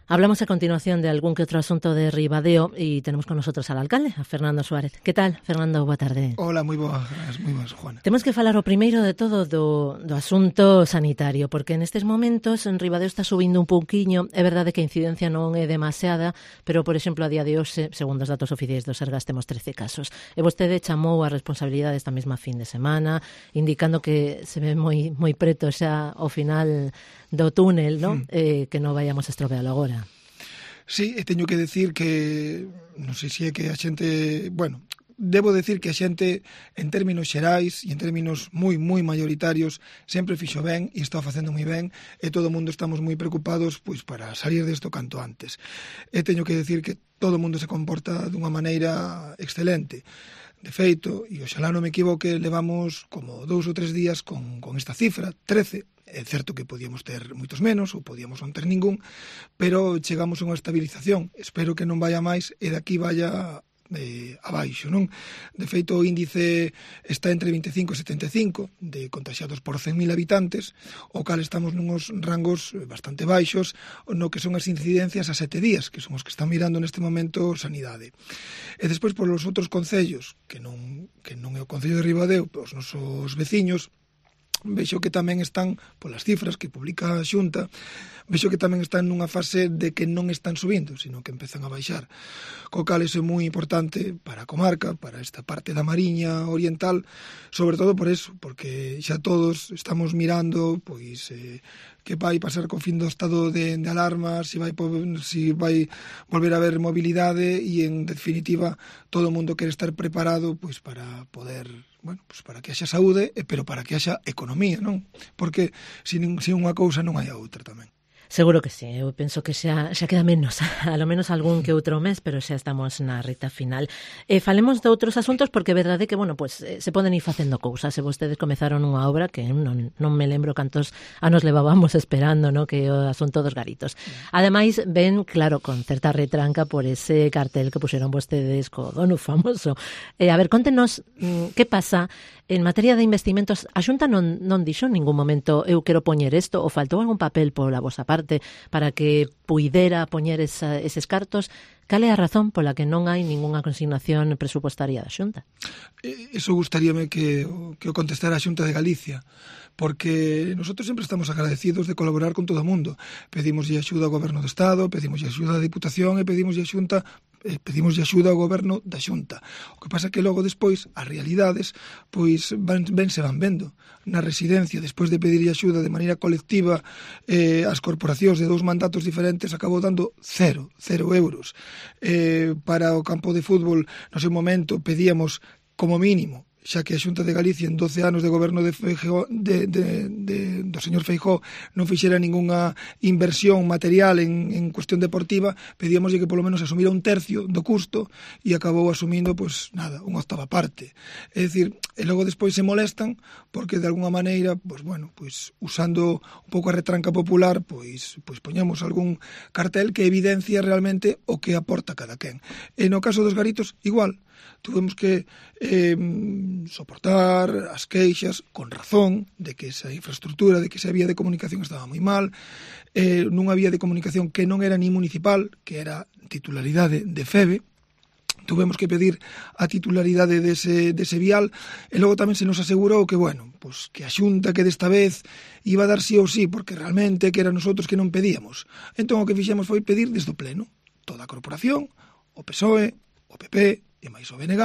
Hablamos a continuación de algún que otro asunto de Ribadeo y tenemos con nosotros al alcalde, a Fernando Suárez. Que tal, Fernando? Boa tarde. Hola, moi boas, Juana. Temos que falar o primeiro de todo do asunto sanitario, porque nestes momentos en Ribadeo está subindo un pouquiño. É verdade que a incidencia non é demasiada, pero, por exemplo, a día de hoxe, segundo os datos oficiais do Sergas, temos 13 casos. E vostede chamou a responsabilidade esta mesma fin de semana, indicando que se ve moi preto xa ao final do túnel, non? Que non vayamos a estropealo agora. Sí, teño que decir que non sei se é que a xente, debo decir que a xente en términos xerais e en términos moi maioritarios sempre fixo ben e está facendo moi ben e todo o mundo estamos moi preocupados pois para salir desto canto antes. E teño que decir que todo o mundo se comporta dunha maneira excelente. De feito, e oxalá non me equivoque, levamos como 2 ou 3 días con esta cifra, 13. É certo que podíamos ter moitos menos ou podíamos non ter ningún, pero chegamos a unha estabilización. Espero que non vaya máis e daqui vaya abaixo, non? De feito, o índice está entre 25 e 75 de contagiados por 100.000 habitantes, o cal estamos nuns rangos bastante baixos no que son as incidencias a 7 días, que son os que están mirando neste momento Sanidade. E despois, polos outros concellos, que non é o Concello de Ribadeo, os nosos veciños, vexo que tamén están, polas cifras que publica a Xunta, vexo que tamén están nunha fase de que non están subindo, sino que empezan a baixar. Co cal iso é moi importante para a comarca, para esta parte da Mariña Oriental, sobre todo por eso, porque xa todos estamos mirando pois que vai pasar co fin do estado de alarma, se vai volver a haber mobilidade e, en definitiva, todo o mundo quere estar preparado pois para poder, para que haxa saúde, pero para que haxa economía, non? Porque se unha cousa non hai a outra tamén. Seguro que sí, eu penso que xa queda menos, a lo menos algún que outro mes, pero xa estamos na reta final. Falemos de outros asuntos porque é verdade que, se poden ir facendo cousas. Se vostedes comezaron unha obra que non me lembro cantos anos levábamos esperando, no? Que o asunto dos garitos. Ademais, ven, claro, con certa retranca por ese cartel que puxeron vostedes co dono famoso. A ver, contenos que pasa en materia de investimentos. A Xunta non dixo en ningún momento eu quero poñer isto, ou faltou algún papel pola vosa parte para que puidera poñer eses cartos. Cal é a razón pola que non hai ningunha consignación presupuestaria da Xunta? Eso gustaríame que o contestara a Xunta de Galicia, porque nosotros sempre estamos agradecidos de colaborar con todo o mundo. Pedimos axuda ao Goberno do Estado, pedimos axuda á Diputación e pedimos axuda ao Goberno da Xunta. O que pasa é que logo despois as realidades pois van vendo. Na residencia, despois de pedir axuda de maneira colectiva as corporacións de 2 mandatos diferentes, acabou dando 0 euros. Para o campo de fútbol, no seu momento pedíamos como mínimo, xa que a Xunta de Galicia en 12 anos de goberno do señor Feijóo non fixera ningunha inversión material en cuestión deportiva, pedíamoslle que polo menos asumira 1/3 do custo e acabou asumindo, unha 8ª parte. É dicir, e logo despois se molestan porque de alguna maneira, usando un pouco a retranca popular, pois poñamos algún cartel que evidencia realmente o que aporta cada quen. E no caso dos garitos, igual, tuvemos que soportar as queixas con razón de que esa infraestructura, de que esa vía de comunicación estaba moi mal, nunha vía de comunicación que non era ni municipal, que era titularidade de FEBE. Tuvemos que pedir a titularidade dese vial e logo tamén se nos asegurou que, que a Xunta que desta vez iba a dar sí ou sí, porque realmente que eran nosotros que non pedíamos. Entón o que fixemos foi pedir desde o Pleno, toda a corporación, o PSOE, o PP e máis o BNG,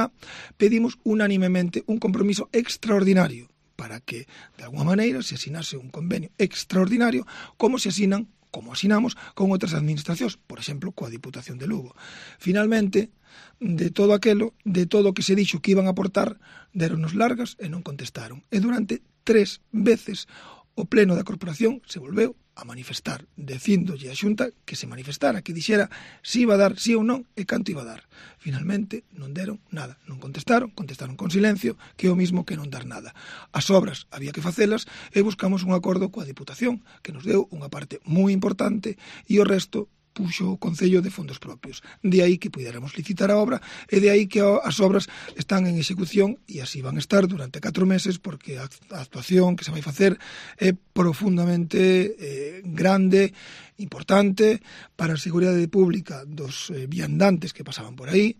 pedimos unánimemente un compromiso extraordinario para que, de alguma maneira, se asinase un convenio extraordinario como asinamos con outras administracións, por exemplo, coa Diputación de Lugo. Finalmente, de todo o que se dixo que iban a aportar, deronnos largas e non contestaron. E durante 3 veces o Pleno da Corporación se volveu a manifestar, dicíndolle a Xunta que se manifestara, que dixera se iba a dar sí ou non e canto iba a dar. Finalmente non deron nada, non contestaron con silencio, que é o mismo que non dar nada. As obras había que facelas e buscamos un acordo coa Diputación, que nos deu unha parte moi importante e o resto puxo o Concello de fondos propios. De aí que puidéramos licitar a obra e de aí que as obras están en execución e así van a estar durante 4 meses porque a actuación que se vai facer é profundamente grande, importante para a seguridade pública dos viandantes que pasaban por aí,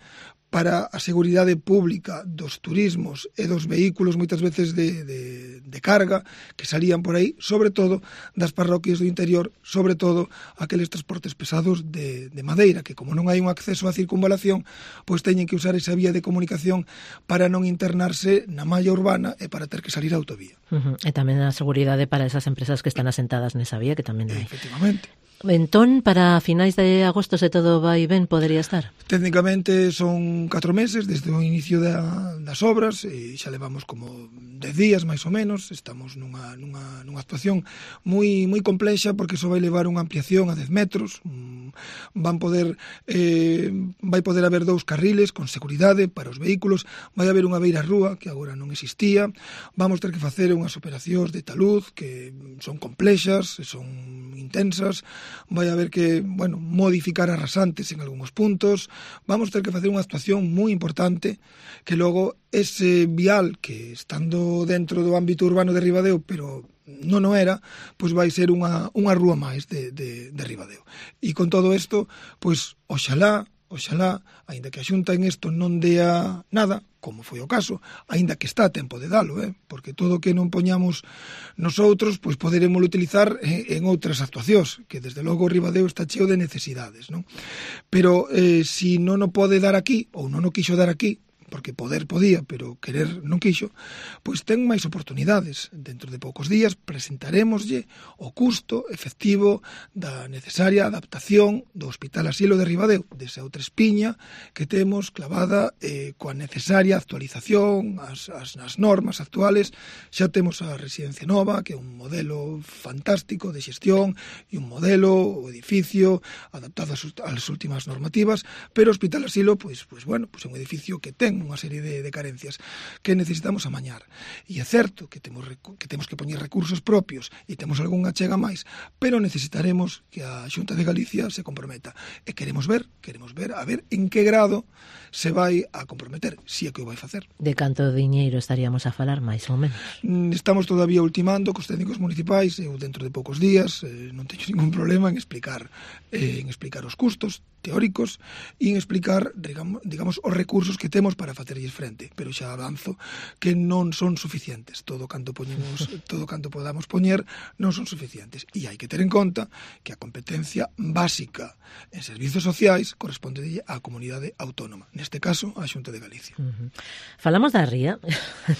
para a seguridade pública dos turismos e dos vehículos moitas veces de carga que salían por aí, sobre todo das parroquias do interior, sobre todo aqueles transportes pesados de madeira, que como non hai un acceso á circunvalación, pois teñen que usar esa vía de comunicación para non internarse na malla urbana e para ter que salir á autovía. E tamén a seguridade para esas empresas que están asentadas nesa vía, que tamén hai. Efectivamente. Entón, para finais de agosto, se todo vai ben, podería estar? Técnicamente son 4 meses desde o inicio das obras e xa levamos como 10 días máis ou menos. Estamos nunha actuación moi complexa porque iso vai levar unha ampliación a 10 metros. Vai poder haber 2 carriles con seguridade para os vehículos, vai haber unha beira rúa que agora non existía, vamos ter que facer unhas operacións de taluz que son complexas, son intensas, vai haber que, modificar as rasantes en algúns puntos, vamos ter que facer unha actuación moi importante que logo ese vial que estando dentro do ámbito urbano de Ribadeo, pero non o era, pois vai ser unha rúa máis de Ribadeo. E con todo isto, pois oxalá, aínda que a Xunta en isto non dea nada, como foi o caso, aínda que está a tempo de dalo, porque todo o que non poñamos nosotros, pois poderemos utilizar en outras actuacións, que desde logo Ribadeo está cheo de necesidades, non? Pero si non o pode dar aquí, ou non o quixo dar aquí, porque poder podía, pero querer non quixo, pois ten máis oportunidades. Dentro de poucos días presentaremoslle o custo efectivo da necesaria adaptación do Hospital Asilo de Ribadeo, desa outra espiña que temos clavada coa necesaria actualización, as normas actuales. Xa temos a residencia nova, que é un modelo fantástico de xestión e un modelo, o edificio, adaptado ás últimas normativas, pero o Hospital Asilo, pois é un edificio que ten unha serie de carencias que necesitamos amañar. E é certo que temos que poñer recursos propios e temos algunha chega máis, pero necesitaremos que a Xunta de Galicia se comprometa. E queremos ver a ver en que grado se vai a comprometer, si é que o vai facer. De canto diñeiro estaríamos a falar, máis ou menos? Estamos todavía ultimando cos técnicos municipais, eu dentro de poucos días non teño ningún problema en explicar os custos teóricos e en explicar, digamos, os recursos que temos para facerlles frente, pero xa avanzo que non son suficientes. Todo canto podamos poñer non son suficientes. E hai que ter en conta que a competencia básica en servizos sociais corresponde á comunidade autónoma, neste caso á Xunta de Galicia. Falamos da ría,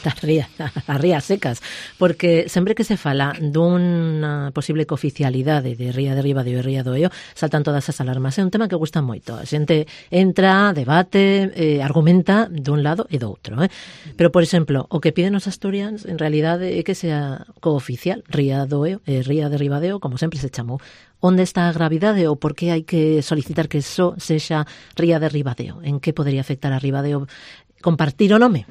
as rías secas, porque sempre que se fala dunha posible cooficialidade de Ría de Ribadeo e Ría do Eo, saltan todas as alarmas. É un tema que gusta moito. A xente entra, debate, argumenta dun lado e do outro. Pero, por exemplo, o que piden os asturianos en realidade é que sea cooficial Ría do Eo e Ría de Ribadeo, como sempre se chamou. Onde está a gravidade ou por que hai que solicitar que só sexa Ría de Ribadeo? En que podería afectar a Ribadeo compartir o nome?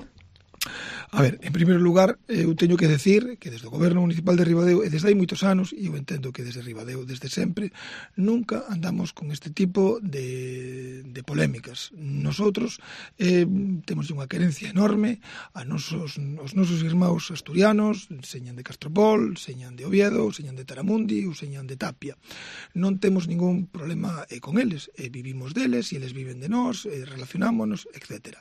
A ver, en primeiro lugar, eu teño que decir que desde o Goberno Municipal de Ribadeo, e desde hai moitos anos, e eu entendo que desde Ribadeo, desde sempre, nunca andamos con este tipo de polémicas. Nosotros temos unha querencia enorme aos nosos irmãos asturianos, señan de Castropol, señan de Oviedo, señan de Taramundi ou señan de Tapia. Non temos ningún problema con eles, vivimos deles e eles viven de nós, relacionámonos, etc.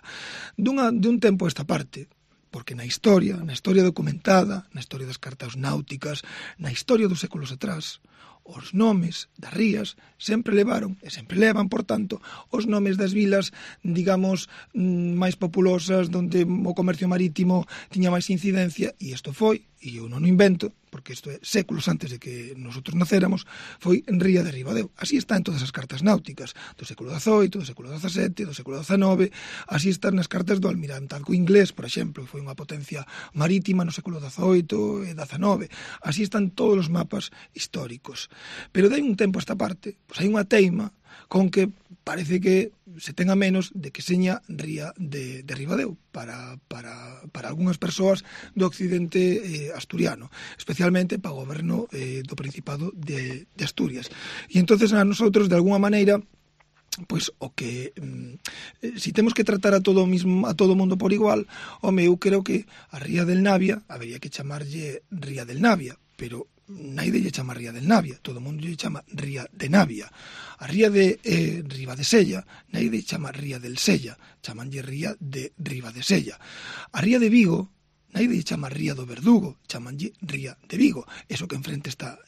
Dun tempo a esta parte, porque na historia documentada, na historia das cartas náuticas, na historia dos séculos atrás, os nomes das rías sempre levaron, e sempre levan, por tanto, os nomes das vilas, digamos, máis populosas, onde o comercio marítimo tiña máis incidencia, e isto foi, e eu non o invento, porque isto é séculos antes de que nosotros nacéramos, foi en Ría de Ribadeo. Así está en todas as cartas náuticas, do século XVIII, do século XVII, do século XIX, así están nas cartas do almirantazgo inglés, por exemplo, que foi unha potencia marítima no século XVIII e XIX. Así están todos os mapas históricos. Pero de un tempo a esta parte, pois hai unha teima con que parece que se ten a menos de que seña ría de Ribadeo para algunhas persoas do occidente asturiano, especialmente para o goberno do Principado de Asturias. E entonces a nosotros, de alguna maneira, pois o que si temos que tratar a todo o mundo por igual, eu creo que a ría del Navia habería que chamarlle ría del Navia, pero naide lle chama ría del Navia, todo o mundo lle chama ría de Navia. A ría de Ribadesella, naide chama ría del Sella, chamanlle ría de Ribadesella. A ría de Vigo, naide lle chama ría do Verdugo, chamanlle ría de Vigo. Eso que enfrente está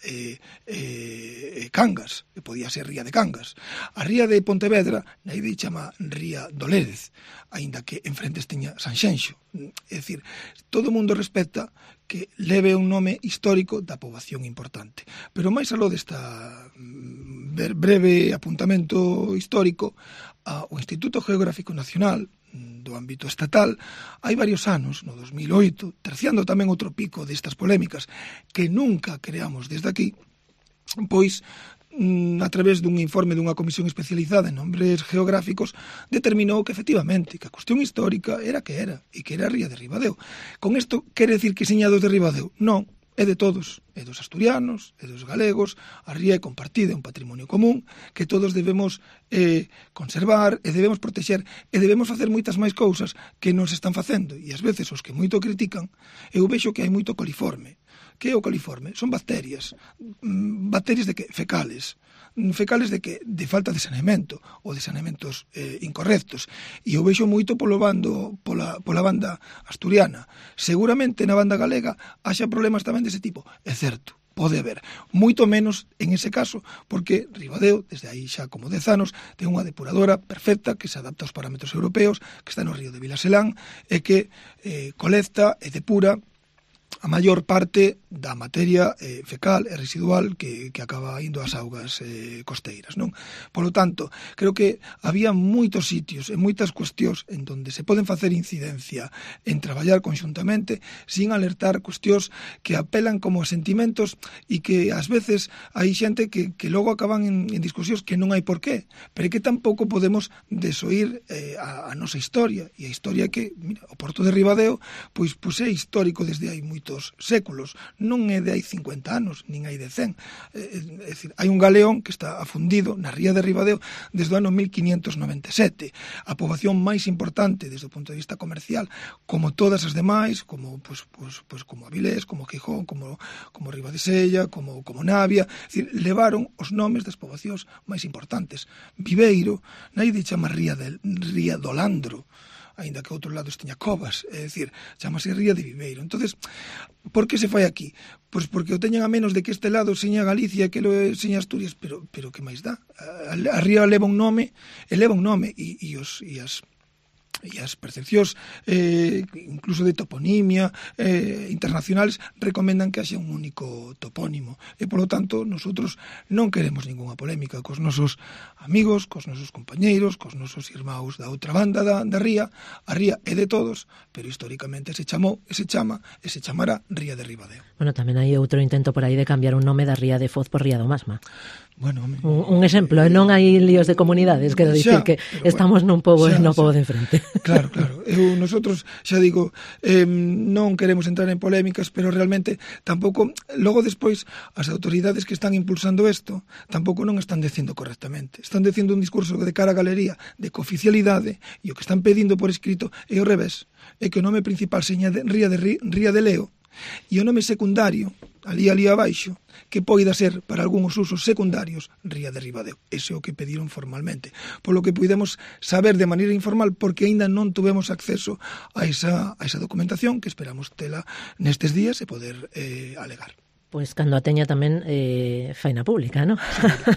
Cangas, que podía ser ría de Cangas. A ría de Pontevedra, naide lle chama ría do Lérez, aínda que enfrente teña Sanxenxo. É dicir, todo o mundo respecta que leve un nome histórico da poboación importante. Pero máis aló desta breve apuntamento histórico, o Instituto Geográfico Nacional do ámbito estatal, hai varios anos, no 2008, terciando tamén outro pico destas polémicas que nunca creamos desde aquí, pois a través dun informe dunha comisión especializada en nombres geográficos, determinou que efectivamente que a cuestión histórica era que era, e que era a ría de Ribadeo. Con isto quere decir que seña dos de Ribadeo? Non, é de todos, é dos asturianos, é dos galegos, a ría é compartida, é un patrimonio común que todos debemos conservar e debemos protexer e debemos facer moitas máis cousas que non se están facendo, e ás veces os que moito critican, eu vexo que hai moito coliforme. Que é o coliforme? Son bacterias de que? Fecales de que? De falta de saneamento ou de saneamentos incorrectos, e eu vexo moito pola banda asturiana. Seguramente na banda galega haxa problemas tamén dese tipo, é certo, pode haber, moito menos en ese caso, porque Ribadeo, desde aí xa como 10 anos, ten unha depuradora perfecta que se adapta aos parámetros europeos, que está no río de Vilaselán e que colecta e depura a maior parte da materia fecal e residual que acaba indo ás augas costeiras, non? Polo tanto, creo que había moitos sitios e moitas cuestións en donde se poden facer incidencia en traballar conxuntamente sin alertar cuestións que apelan como a sentimentos e que ás veces hai xente que logo acaban en discusións que non hai por qué, pero que tampouco podemos desoír a nosa historia, e a historia que, mira, o Porto de Ribadeo pois é histórico desde hai moitos séculos, non é de hai 50 anos, nin hai de 100. É dicir, hai un galeón que está afundido na ría de Ribadeo desde o ano 1597. A poboación máis importante desde o punto de vista comercial, como todas as demais, como como Avilés, como Gijón, como Ribadesella, como Navia, é dicir, levaron os nomes das poboacións máis importantes. Viveiro, naide chama ría do Landro, aínda que a outros lados teña covas, é dicir, chamase ría de Viveiro. Entonces, por que se fai aquí? Pois porque o teñen a menos de que este lado seña Galicia, que lo seña Asturias, pero que máis dá? A ría leva un nome, e as percepcións incluso de toponimia internacionales recomendan que haxa un único topónimo, e polo tanto nosotros non queremos ningunha polémica cos nosos amigos, cos nosos compañeiros, cos nosos irmãos da outra banda da ría. A ría é de todos, pero históricamente se chamou e se chamará ría de Ribadeo. Bueno, tamén hai outro intento por aí de cambiar un nome da ría de Foz por ría do Masma. Bueno, un exemplo, non hai líos de comunidades, quero dicir que estamos nun pobo e no pobo de enfrente. Claro. Nosotros, xa digo, non queremos entrar en polémicas, pero realmente tampouco, logo despois, as autoridades que están impulsando isto, tampouco non están dicindo correctamente. Están dicindo un discurso de cara á galería de cooficialidade, e o que están pedindo por escrito é o revés, é que o nome principal seña ría de Leo, e o nome secundario, ali abaixo, que poida ser para algúns usos secundarios ría de Ribadeo. Ese é o que pediron formalmente, polo que puidemos saber de maneira informal, porque aínda non tuvemos acceso a esa documentación que esperamos tela nestes días e poder alegar. Pois cando a teña tamén faina pública, non?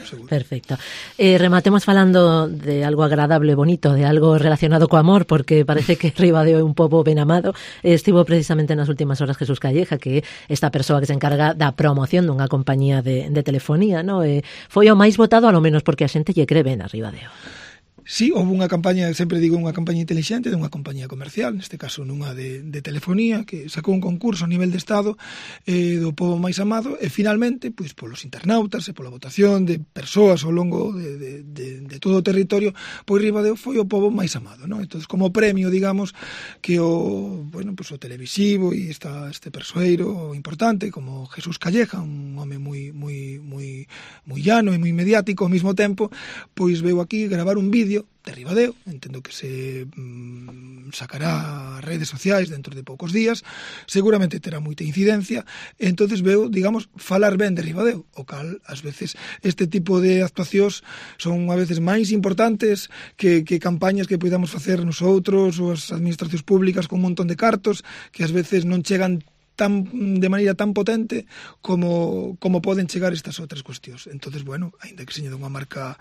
Seguro. Perfecto. Rematemos falando de algo agradable, bonito, de algo relacionado co amor, porque parece que Ribadeo é un pobo ben amado. Estivo precisamente nas últimas horas Jesús Calleja, que é esta persoa que se encarga da promoción dunha compañía de telefonía, non? Foi o máis votado, a lo menos porque a xente lle cree ben a Ribadeo. Sí, houve unha campaña, sempre digo, unha campaña intelixente dunha compañía comercial, neste caso nunha de telefonía, que sacou un concurso a nivel de Estado do pobo máis amado, e finalmente, pois polos internautas e pola votación de persoas ao longo de de todo o territorio, pois Ribadeo foi o pobo máis amado, non? Entón, como premio, digamos, que o televisivo e este persoeiro importante como Jesús Calleja, un home moi llano e moi mediático ao mesmo tempo, pois veu aquí gravar un vídeo de Ribadeo, entendo que se sacará a redes sociais dentro de poucos días, seguramente terá moita incidencia, e entonces veu, digamos, falar ben de Ribadeo, o cal, ás veces, este tipo de actuacións son a veces máis importantes que campañas que podamos facer nosotros ou as administracións públicas con un montón de cartos que ás veces non chegan de maneira tan potente como poden chegar estas outras cuestións. Entonces, bueno, aínda que seña dunha marca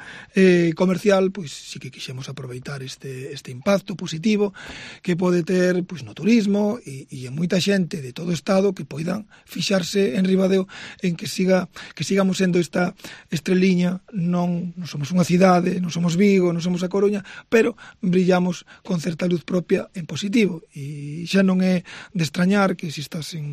comercial, pois sí que quixemos aproveitar este impacto positivo que pode ter pois no turismo e en moita xente de todo o Estado que poidan fixarse en Ribadeo en que sigamos sendo esta estreliña, non somos unha cidade, non somos Vigo, non somos a Coruña, pero brillamos con certa luz propia en positivo e xa non é de extrañar que se estás en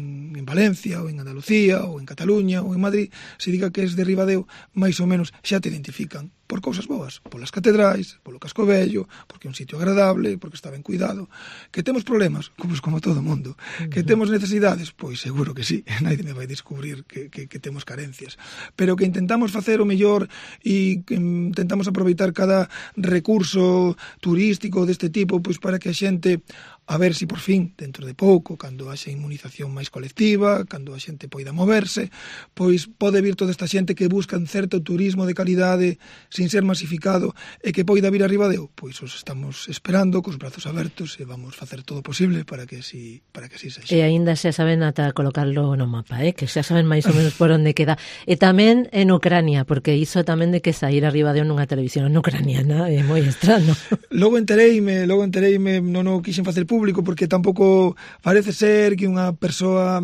Valencia, ou en Andalucía, ou en Cataluña, ou en Madrid, se diga que és de Ribadeo, máis ou menos xa te identifican por cousas boas, polas catedrais, polo casco vello, porque é un sitio agradable, porque está ben cuidado. Que temos problemas? Pois como todo o mundo. Que temos necesidades? Pois seguro que sí, naide me vai descubrir que temos carencias. Pero que intentamos facer o mellor e que intentamos aproveitar cada recurso turístico deste tipo pois para que a xente, a ver se por fin, dentro de pouco, cando haxa inmunización máis colectiva, cando a xente poida moverse, pois pode vir toda esta xente que busca un certo turismo de calidade sin ser masificado e que poida vir a Ribadeo, pois os estamos esperando cos brazos abertos e vamos facer todo o posible para que así sexa. E aínda xa saben ata colocarlo no mapa, que xa saben máis ou menos por onde queda. E tamén en Ucrania, porque iso tamén de que sair a Ribadeo nunha televisión ucraniana é moi extraño. Logo entereime, non o quixen facer público porque tampouco parece ser que unha persoa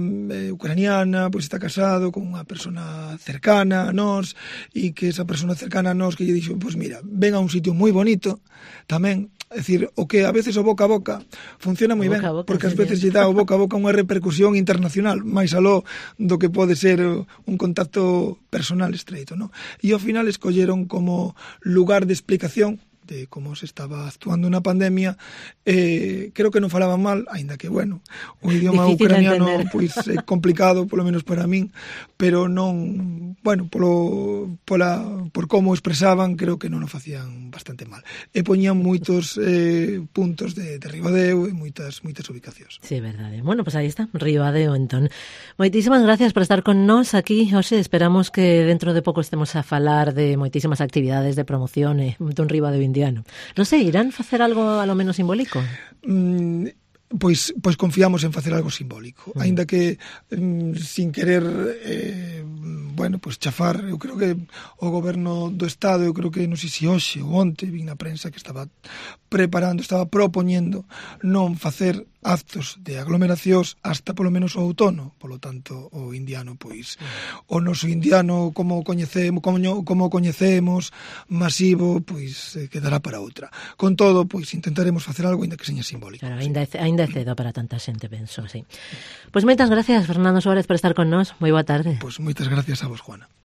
ucraniana pois está casado con unha persona cercana a nós e que esa persona cercana a nós que lle dixo, pois mira, ven a un sitio moi bonito tamén, é dicir, o que a veces o boca a boca funciona moi ben, porque ás veces lle dá o boca a boca unha repercusión internacional máis aló do que pode ser un contacto personal estreito, non? E ao final escolleron como lugar de explicación de como se estaba actuando na pandemia, creo que non falaban mal, aínda que, bueno, o idioma ucraniano pois é complicado, polo menos para min, pero non, bueno, por como expresaban, creo que non o facían bastante mal. E poñían moitos puntos de Ribadeo e moitas ubicacións. Sí, verdade. Bueno, pues aí está, Ribadeo, entón. Moitísimas gracias por estar con nós aquí, hoxe. Esperamos que dentro de pouco estemos a falar de moitísimas actividades de promoción dun Ribadeo indiano. Non sei, irán facer algo a lo menos simbólico? Pois confiamos en facer algo simbólico, aínda que sin querer chafar, eu creo que o goberno do Estado, eu creo que non sei se hoxe ou onte vi na prensa que estaba propoñendo non facer actos de aglomeracións hasta polo menos o outono, polo tanto o indiano, pois o noso indiano como coñecemos masivo, pois quedará para outra. Con todo, pois intentaremos facer algo aínda que seña simbólico. Claro, aínda é cedo para tanta xente, penso, sí. Pois moitas gracias, Fernando Suárez, por estar con nós. Moi boa tarde. Pois moitas gracias a vos, Juana.